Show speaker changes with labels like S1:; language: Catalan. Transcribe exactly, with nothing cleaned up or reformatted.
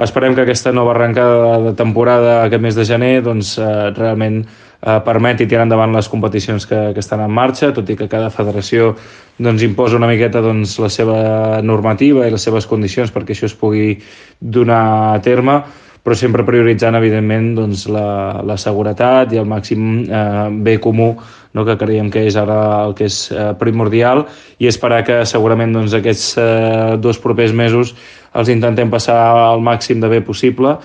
S1: esperem que aquesta nova arrencada de temporada aquest mes de gener doncs, eh, realment eh, permeti tirar endavant les competicions que, que estan en marxa, tot i que cada federació doncs, imposa una miqueta doncs, la seva normativa i les seves condicions perquè això es pugui donar a terme, però sempre prioritzant, evidentment, doncs, la, la seguretat i el màxim eh, bé comú, no? Que creiem que és ara el que és eh, primordial, i esperar que segurament doncs, aquests eh, dos propers mesos els intentem passar al màxim de bé possible,